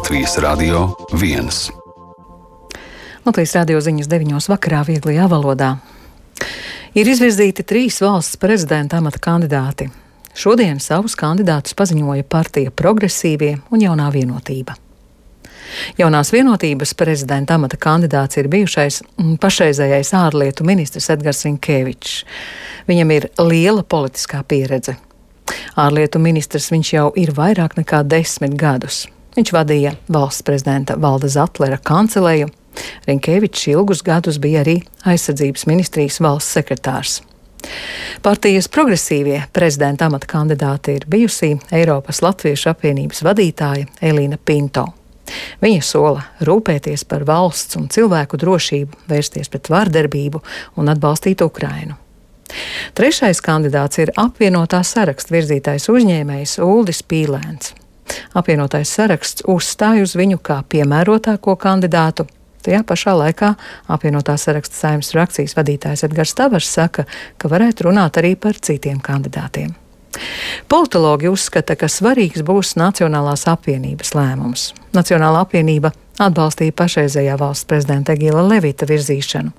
Latvijas Radio 1. Latvijas radio ziņas 9 vakarā vieglajā valodā. Ir izvirzīti 3 valsts prezidenta amata kandidāti. Šodien savus kandidātus paziņoja partija Progresīvie un Jaunā vienotība. Jaunās vienotības prezidenta amata kandidāts ir bijušais pašreizējais ārlietu ministrs Edgars Rinkevičs. Viņam ir liela politiskā pieredze. Ārlietu ministrs viņš jau ir vairāk nekā 10 gadus. Viņš vadīja valsts prezidenta Valda Zatlera kanceleju. Rinkevičs ilgus gadus bija arī aizsardzības ministrijas valsts sekretārs. Partijas Progresīvie prezidenta amata kandidāte ir bijusī Eiropas Latviešu apvienības vadītāja Elīna Pinto. Viņa sola rūpēties par valsts un cilvēku drošību, vērsties pret vardarbību un atbalstīt Ukrainu. Trešais kandidāts ir apvienotā saraksta virzītais uzņēmējs Uldis Pīlēns. Apvienotais saraksts uzstāj uz viņu kā piemērotāko kandidātu. Tajā pašā laikā apvienotā saraksta Saeimas frakcijas vadītājs Edgars Tavars saka, ka varētu runāt arī par citiem kandidātiem. Politologi uzskata, ka svarīgs būs Nacionālās apvienības lēmums. Nacionālā apvienība atbalstīja pašreizējā valsts prezidenta Egila Levita virzīšanu.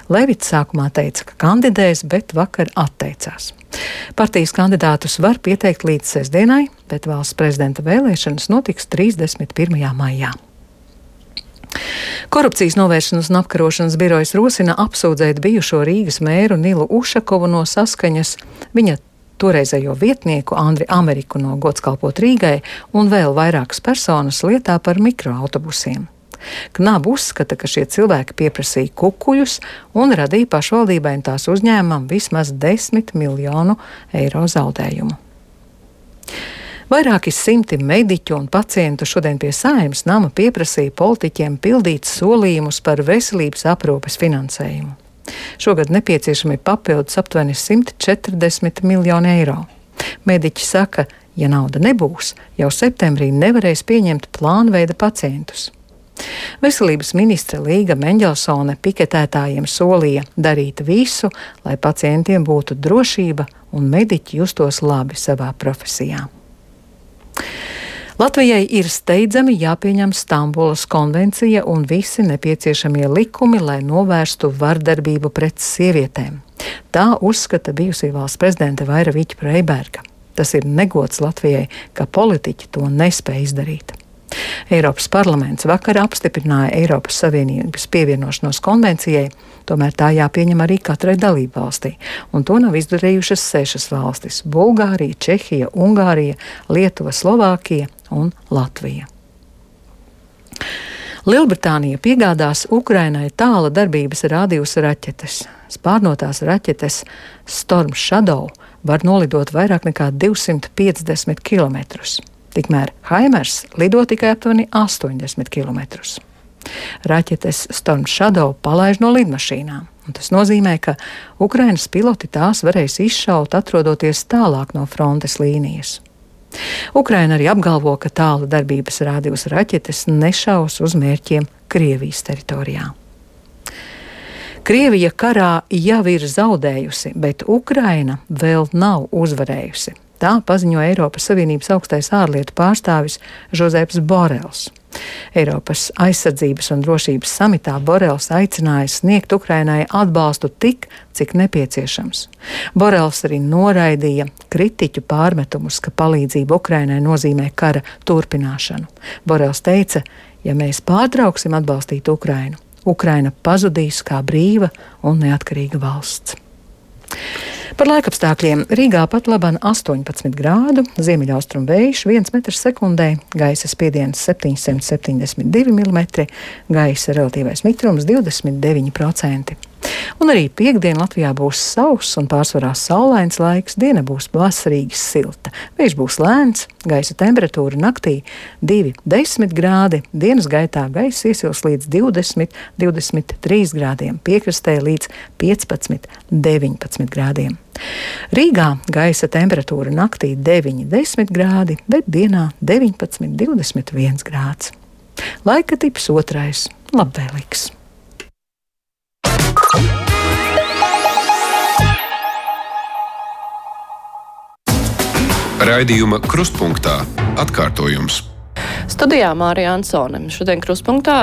Levits sākumā teica, ka kandidēs, bet vakar atteicās. Partijas kandidātus var pieteikt līdz sestdienai, bet valsts prezidenta vēlēšanas notiks 31. maijā. Korupcijas novēršanas un apkarošanas birojas rosina apsūdzēt bijušo Rīgas mēru Nilu Ušakovu no saskaņas, viņa toreizējo vietnieku Andri Ameriku no Godskalpot Rīgai un vēl vairākas personas lietā par mikroautobusiem. Knaba uzskata, ka šie cilvēki pieprasīja kukuļus un radīja pašvaldībai un tās uzņēmumam vismaz 10 miljonu eiro zaudējumu. Vairāki simti mediķu un pacientu šodien pie Saeimas nama pieprasīja politiķiem pildīt solījumus par veselības aprūpes finansējumu. Šogad nepieciešami papildus aptuveni 140 miljoni eiro. Mediķi saka, ja nauda nebūs, jau septembrī nevarēs pieņemt plānveida pacientus. Veselības ministre Līga Meņģelsone piketētājiem solīja darīt visu, lai pacientiem būtu drošība un mediķi justos labi savā profesijā. Latvijai ir steidzami jāpieņem Stambulas konvencija un visi nepieciešamie likumi, lai novērstu vardarbību pret sievietēm. Tā uzskata bijusī valsts prezidente Vaira Viķa-Freiberga. Tas ir negods Latvijai, ka politiķi to nespēj izdarīt. Eiropas parlaments vakar apstiprināja Eiropas Savienības pievienošanos konvencijai, tomēr tā jāpieņem arī katrai dalību valstī, un to nav izdarījušas 6 valstis – Bulgārija, Čehija, Ungārija, Lietuva, Slovākija un Latvija. Lielbritānija piegādās Ukrainai tāla darbības rādījuma raķetes. Spārnotās raķetes Storm Shadow var nolidot vairāk nekā 250 kilometrus. Tikmēr Haimers lido tikai aptuveni 80 km. Raķetes Storm Shadow palaiž no lidmašīnām, un tas nozīmē, ka Ukrainas piloti tās varēs izšaut, atrodoties tālāk no frontes līnijas. Ukraina arī apgalvo, ka tāla darbības rādījuma raķetes nešaus uz mērķiem Krievijas teritorijā. Krievija karā jau ir zaudējusi, bet Ukraina vēl nav uzvarējusi. Tā paziņo Eiropas Savienības augstais ārlietu pārstāvis Žozeps Borels. Eiropas aizsardzības un drošības samitā Borels aicināja sniegt Ukrainai atbalstu tik, cik nepieciešams. Borels arī noraidīja kritiķu pārmetumus, ka palīdzība Ukrainai nozīmē kara turpināšanu. Borels teica, ja mēs pārtrauksim atbalstīt Ukrainu, Ukraina pazudīs kā brīva un neatkarīga valsts. Par laikapstākļiem Rīgā pat laban 18 grādu, ziemeļaustrumu vējš 1 metrs sekundē, gaisa spiediens 772 mm, gaisa relatīvais mitrums 29%. Un arī piektdien Latvijā būs sauss un pārsvarā saulains laiks, diena būs vasarīgi silta. Vējš būs lēns, gaisa temperatūra naktī 2–10 grādi, dienas gaitā gaisa iesils līdz 20–23 grādiem, piekrastē līdz 15–19 grādiem. Rīgā gaisa temperatūra naktī 9–10 grādi, bet dienā 19–21 grāds. Laika tips 2. labvēlīgs. Raidījuma Krustpunktā atkārtojums. Studijā Mārija Ansone. Šodien kruspunktā